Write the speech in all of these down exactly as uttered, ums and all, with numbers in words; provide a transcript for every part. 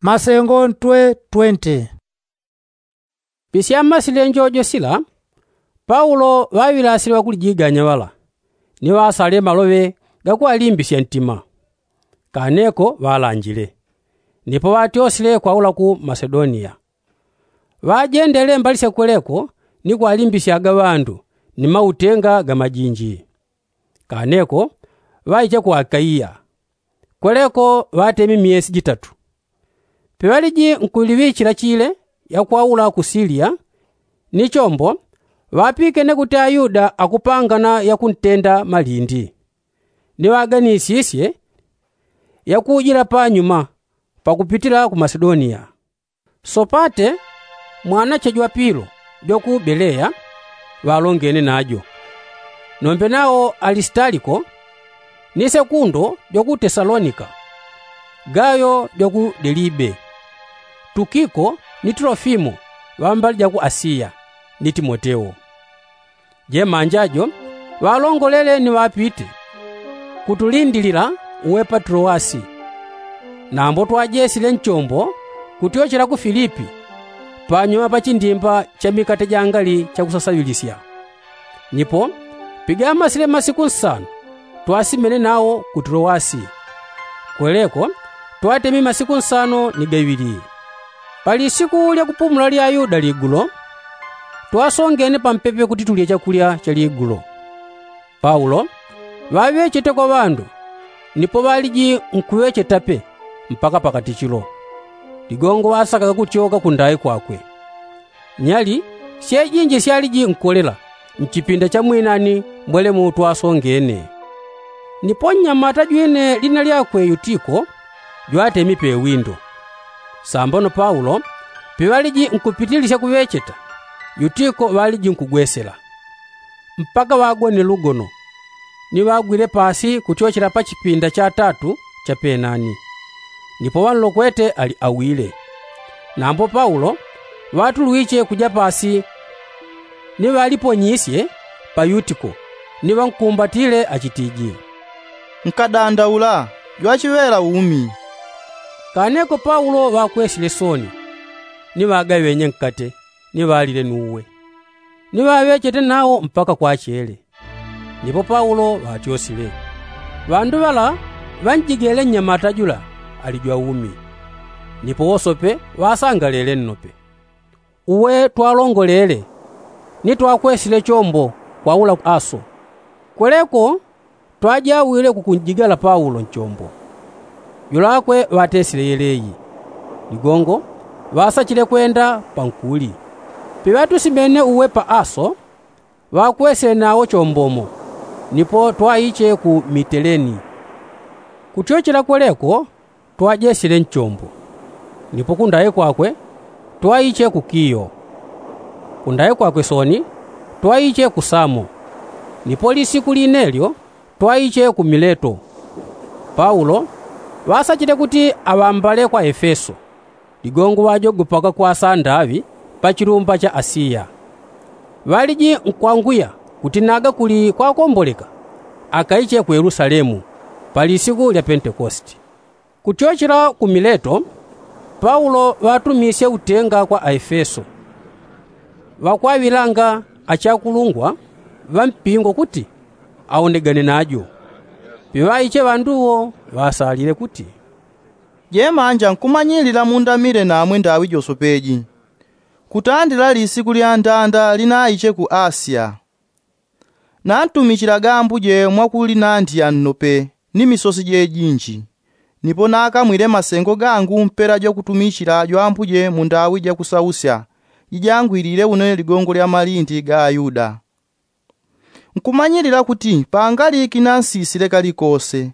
Masengo ntwe twente. Pisya mmasilya njojo sila, paulo ŵaŵilasile ŵakulijiganya ŵala, ni ŵasale maloŵe gakuŵalimbisya ntima. Kaneko ŵalanjile, nipo ŵatyosile kwaula ku masedoniya. Ŵajendele mbalisya kweleko ni kwalimbisyaga ŵandu ni mautenga ga majinji. Kaneko ŵaiche ku akaiya. Kweleko ŵatemi myesi jitatu. Peŵaliji nkuliŵichila chile yakwaula ku siliya, ni chombo ŵapikene kuti ayuda akupangana yakuntenda malindi. Ni ŵaganisisye yakujila panyuma pakupitila ku masedoniya. Sopate mwanache jwa pilo jwa ku beleya ŵalongene najo. Nombe nao alisitaliko, ni sekundo jwa ku tesalonika, gayo jwa ku delibe, tukiko ni tulofimo ŵambali ja ku asiya, ni timoteo. Jemanja jo ŵalongolele ni ŵapite kutulindilila uwe pa tulowasi. Nambo twajesile nchombo kutyochela ku filipi, panyuma pa chindimba cha mikate jangali chakusasaŵilisya. Nipo pigamasile masiku nsanu twasimene nao ku tulowasi. Kweleko twatemi masiku nsanu ni gaŵili. Pali siku lya kupumula lya ayuda ligulo, twasongene pampepe kuti tulye chakulya cha ligulo. Paulo ŵaŵechete kwa ŵandu, nipo ŵaliji nkuŵechetape mpaka pakatichilo. Ligongo ŵasakaga kutyoka kundai kwakwe. Nyali syejinji syaliji nkulela nchipinda cha mwinani mbwelemu twasongene. Nipo nnyamata jwine lina lyakwe yutiko jwatemi pewindo. Sambano paulo piŵaliji nkupitilisya kuŵecheta, yutiko ŵaliji nkugwesela mpaka ŵagone lugono, ni ŵagwile pasi kutyochela pa chipinda cha tatu cha penani. Nipo ŵanlokwete ali awile. Nambo paulo ŵatulwiche kuja pasi ni ŵaliponyisye pa yutiko, ni ŵankumbatile achitiji, nkadandaula jwachiŵela umi. Kaneko paulo ŵakwesile soni, ni ŵagaŵenye nkate ni ŵalile nuwe, ni ŵaŵechete nao mpaka kwachele. Nipo paulo ŵatyosile, ŵandu ŵala ŵanjigele nnyamata jula ali jwaumi. Nipo wosope ŵasangalele nnope. Uwe twalongolele ni twakwesile chombo kwaula ku aso. Kweleko twajawile kukunjigala paulo nchombo. Julakwe ŵatesile yeleyi. Ligongo ŵasachile kwenda pankuli. Piŵatusimene uwe pa aso, ŵakwesile nawo chombo mo, nipo twaiche ku miteleni. Kutyochela kweleko twajesile nchombo. Nipo kundai kwakwe twaiche ku kiyo. Kundai kwakwe soni twaiche ku samo. Nipo lisiku linelyo twaiche ku mileto. Paulo ŵasachile kuti aŵambale kwa efeso. Ligongo ŵajogopaga kwasa ndaŵi pa chilumba cha asiya. Ŵaliji nkwangwiya kuti naga kuli kwakomboleka akaiche ku yelusalemu pa lisiku lya pentekosti. Kutyochela ku mileto paulo ŵatumisye utenga kwa aefeso, ŵakwaŵilanga achakulungwa ŵa mpingo kuti aonegane najo. Piŵaiche ŵanduwo ŵasalile kuti, jemanja nkumanyilila mundamile namwe ndaŵi josopeji kutandila lisiku lya ndanda linaiche ku asiya. Nantumichilaga ambuje mwakulinandiya nnope ni misosi jejinji. Nipo nakamwile masengo gangu mpela jwakutumichila jwambuje mundaŵi jakusausya jijangwilile une ligongo lya malindi ga ayuda. Nkumanyilila kuti pangaliki nansisile kalikose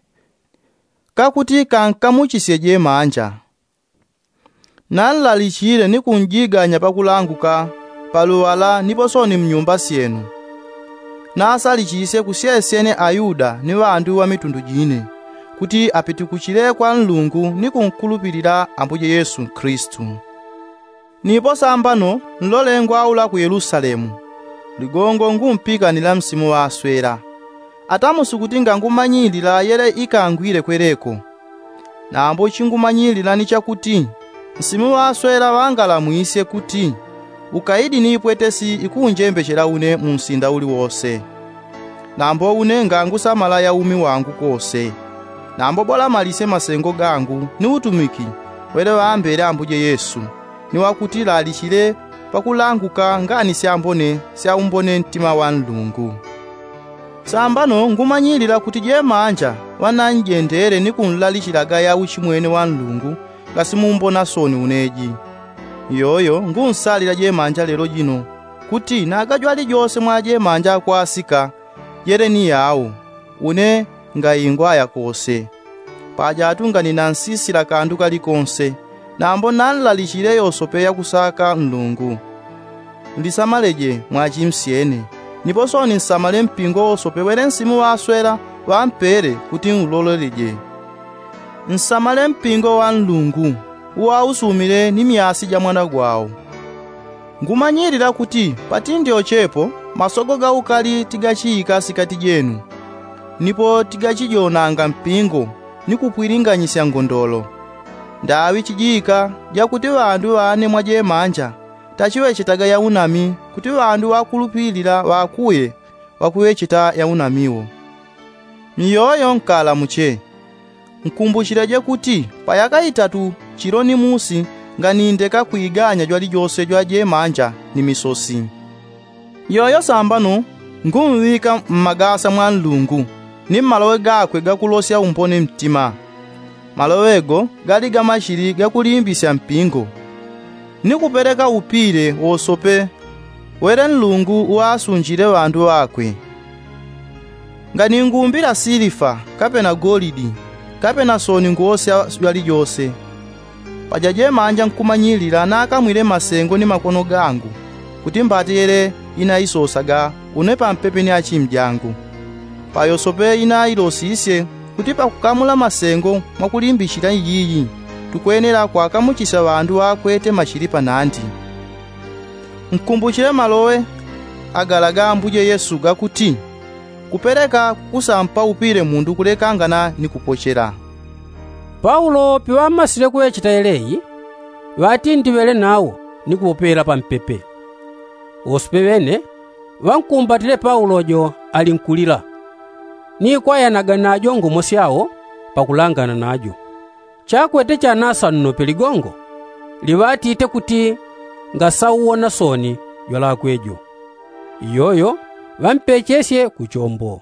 kakuti kankamuchisye jemanja. Nanlalichile ni kunjiganya pakulanguka paluŵala nipo soni mnyumba syenu. Nasalichisye kusyesyene ayuda ni ŵandu ŵa mitundu jine kuti apitukuchile kwa nlungu ni kunkulupilila ambuje yesu kristu. Nipo sambano nlolengwa aula ku yelusalemu. Ligongo ngumpikanila msimu ŵaswela. Atamusi kuti ngangumanyilila yele ikangwile kweleko. Nambo chingumanyilila ni chakuti Nsimu ŵaswela ŵangalamwisye kuti ukaidi ni ipwetesi ikunjembechela une mu nsinda uli wose. Nambo une ngangusamala ya umi wangu kose. Nambo bola malisye masengo gangu ni utumiki wele ŵambele ambuje yesu, ni wakuti lalichile pakulanguka ngani syambone sya umbone ntima wa nlungu. Sambano ngumanyilila kuti jemanja ŵananjendele ni kunlalichilaga ya uchimwene wa nlungu ngasimumbona soni uneji. Iyoyo ngunsalila jemanja lelo jino kuti nagajwali jose mwa jemanja akwasika jele ni yau, une ngaingwaya kose. Paja atunga ninansisila kandu kalikonse, nambo nanlalichile yosope yakusaka nlungu. Nlisamaleje mwachimsyene, nipo soni nsamale mpingo wosope wele nsimu ŵaswela ŵampele kuti nuloleleje. Nsamale mpingo wa nlungu uwausumile ni myasi ja mwana gwao. Ngumanyilila kuti patindyo chepo masogo gaukali tigachiika sikati jenu, nipo tigachijonanga mpingo ni kupwilinganyisya ngondolo. Ndaŵi chijiika jakuti ŵandu ŵane mwa jemanja tachiŵechetaga yaunami kuti ŵandu ŵakulupilila ŵakuye ŵakuŵecheta yaunami wo. Miyoyo nkalamuche. Nkumbuchileje kuti pa yaka itatu chilo ni musi nganindeka kwiganya jwalijose jwa jemanja ni misosi. Iyoyo sambano ngunŵika mmagasa mwa nlungu ni mmaloŵe gakwe gakulosya umbone mtima. Maloŵe go gali gamachili gakulimbisya mpingo ni kupeleka upile wosope wele nlungu uŵasunjile ŵandu ŵakwe. Nganingumbila silifa kapena golidi kapena soni ngosya jwalijose. Paja jemanja nkumanyilila nakamwile masengo ni makono gangu kuti mbate yele inaisosaga une pampepe ni achimjangu. Payosope inailosisye kuti pakukamula masengo mwakulimbichila iyiyi tukwenela kwakamuchisya ŵandu ŵakwete machili panandi. Nkumbuchile maloŵe agala ga ambuje yesu gakuti, kupeleka kukusampa upile mundu kulekangana ni kupochela. Paulo piŵamasile kuŵecheta yeleyi, ŵatindiŵele nawo ni kupopelela pampepe. Wosope ŵene ŵankumbatile paulo jo ali nkulila, ni kwayanaga najo ngomo syao pakulangana najo. Chakwete chanasannope ligongo liŵatite kuti ngasauwona soni jwalakwe jo. Iyoyo ŵampechesye ku chombo.